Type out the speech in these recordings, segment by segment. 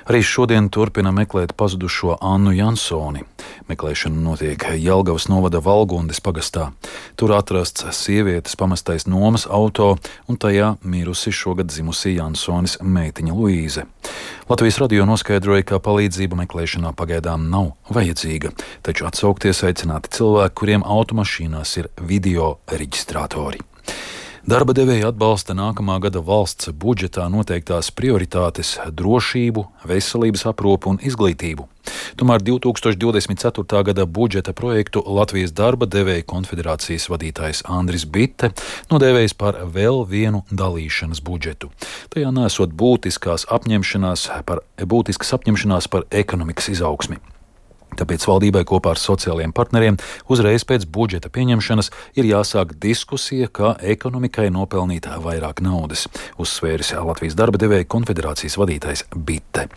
Arī šodien turpina meklēt pazudušo Annu Jansoni. Meklēšana notiek Jelgavas novada Valgundes pagastā. Tur atrasts sievietes pamestais nomas auto un tajā mirusi šogad dzimusī Jansonis meitiņa Luīze. Latvijas radio noskaidroja, ka palīdzība meklēšanā pagaidām nav vajadzīga, taču atsaukties aicināti cilvēki, kuriem automašīnās ir video reģistrātori. Darba devēja atbalsta nākamā gada valsts budžetā noteiktās prioritātes – drošību, veselības aprūpi un izglītību. Tomēr 2024. gada budžeta projektu Latvijas darba devēja konfederācijas vadītājs Andris Bitte nodēvējis par vēl vienu dalīšanas budžetu. Tajā nesot būtiskas apņemšanās par ekonomikas izaugsmi. Tāpēc valdībai kopā ar sociālajiem partneriem uzreiz pēc budžeta pieņemšanas ir jāsāk diskusija, kā ekonomikai nopelnīt vairāk naudas, uzsvēris Latvijas darba devēja konfederācijas vadītājs Bitte.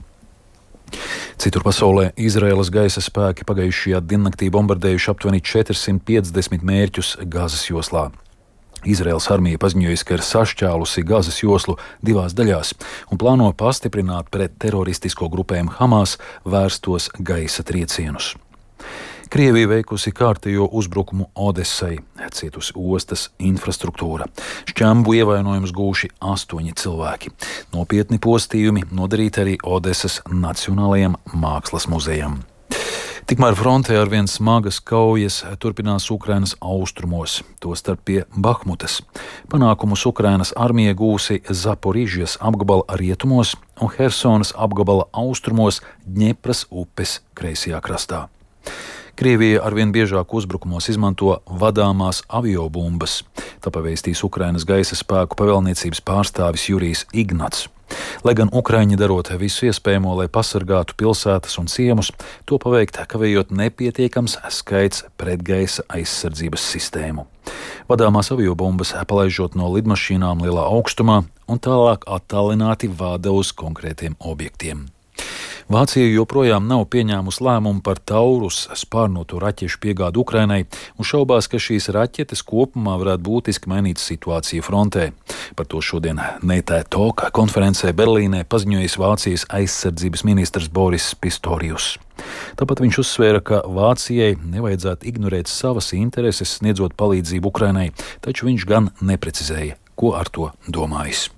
Citur pasaulē Izraēlas gaisa spēki pagājušajā diennaktī bombardējuši aptuveni 450 mērķus Gazas joslā. Izraēlas armija paziņojusi, ka ir sašķēlusi Gazas joslu divās daļās un plāno pastiprināt pret teroristisko grupējumu Hamas vērstos gaisa triecienus. Krievija veikusi kārtējo uzbrukumu Odesai, cietusi ostas infrastruktūra. Šķembu ievainojumus gūši 8 cilvēki. Nopietni postījumi nodarīti arī Odesas Nacionālajam mākslas muzejam. Tikmēr frontē arvien smagas kaujas turpinās Ukrainas austrumos, tostarp pie Bahmutas. Panākumus Ukrainas armija gūsi Zaporižjas apgabala rietumos un Hersonas apgabala austrumos Dņepras upes kreisajā krastā. Krievija arvien biežāk uzbrukumos izmanto vadāmās aviobumbas, tā pavēstīs Ukrainas gaisa spēku pavēlniecības pārstāvis Jurijs Ignats. Lai gan Ukraiņi darot visu iespējamo, lai pasargātu pilsētas un ciemus, to paveikt kavējot nepietiekams skaits pretgaisa aizsardzības sistēmu. Vadāmās aviobumbas palaižot no lidmašīnām lielā augstumā un tālāk attālināti vāda uz konkrētiem objektiem. Vācija joprojām nav pieņēmusi lēmumu par Taurus spārnoto raķešu piegādu Ukrainai un šaubās, ka šīs raķetes kopumā varētu būtiski mainīt situāciju frontē. Par to šodien Neitē Talk konferencē Berlīnē paziņojis Vācijas aizsardzības ministrs Boris Pistorius. Tāpat viņš uzsvēra, ka Vācijai nevajadzētu ignorēt savas intereses, sniedzot palīdzību Ukrainai, taču viņš gan neprecizēja, ko ar to domājis.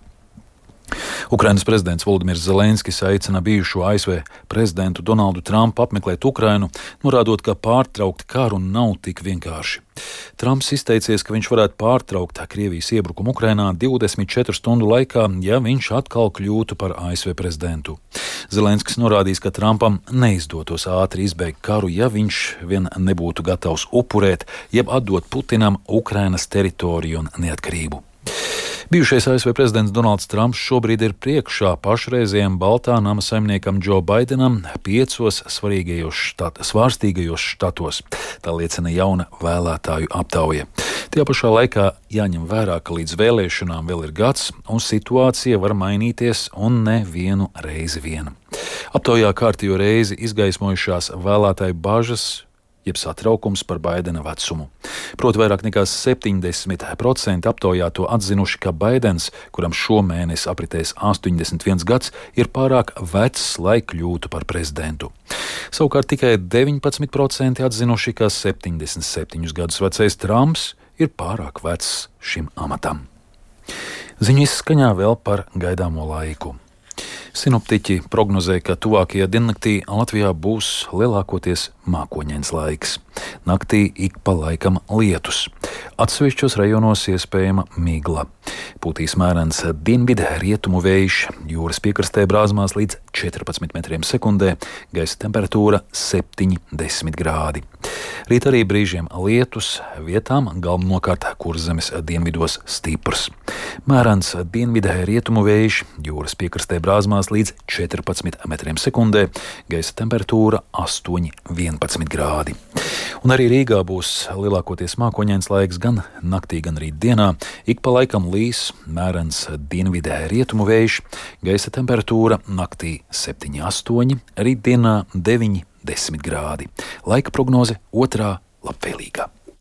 Ukrainas prezidents Volodimirs Zelenskis aicina bijušo ASV prezidentu Donaldu Trumpu apmeklēt Ukrainu, norādot, ka pārtraukt karu nav tik vienkārši. Trumps izteicies, ka viņš varētu pārtraukt Krievijas iebrukumu Ukrainā 24 stundu laikā, ja viņš atkal kļūtu par ASV prezidentu. Zelenskis norādījis, ka Trumpam neizdotos ātri izbeigt karu, ja viņš vien nebūtu gatavs upurēt, jeb atdot Putinam Ukrainas teritoriju un neatkarību. Bijušais ASV prezidents Donalds Trumps šobrīd ir priekšā pašreizējiem Baltā nama saimniekam Džo Baidenam 5 svārstīgajos štatos. Tā liecina jauna vēlētāju aptauja. Tajā pašā laikā jāņem vērā, ka līdz vēlēšanām vēl ir gads un situācija var mainīties un ne vienu reizi vien. Aptaujā kārtējo reizi izgaismojušās vēlētāju bažas jeb satraukums par Baidena vecumu. Proti vairāk nekā 70% aptaujāto atzinuši, ka Baidens, kuram šomēnes apritēs 81 gads, ir pārāk vecs, lai kļūtu par prezidentu. Savukārt tikai 19% atzinuši, ka 77 gadus vecais Trumps ir pārāk vecs šim amatam. Ziņu izskaņā vēl par gaidāmo laiku. Sinoptiķi prognozē, ka tuvākajā diennaktī Latvijā būs lielākoties mākoņains laiks. Naktī ik pa laikam lietus. Atsevišķos rajonos iespējama migla. Pūtīs mērens dienvidu rietumu vējš, jūras piekrastē brāzmās līdz 14 metriem sekundē, gaisa temperatūra 7–10 grādi. Rīt arī brīžiem lietus, vietām galvenokārt Kurzemes dienvidos stiprs. Mērens dienvidu rietumu vējš, jūras piekrastē brāzmās līdz 14 metriem sekundē, gaisa temperatūra 8–11 grādi. Un arī Rīgā būs lielākoties mākoņains laiks gan naktī, gan rīt dienā. Ik pa laikam līs, mērens dienvidē rietumu vējš, gaisa temperatūra naktī 7–8, rīt dienā 9–10 grādi. Laika prognoze 2. labvēlīgā.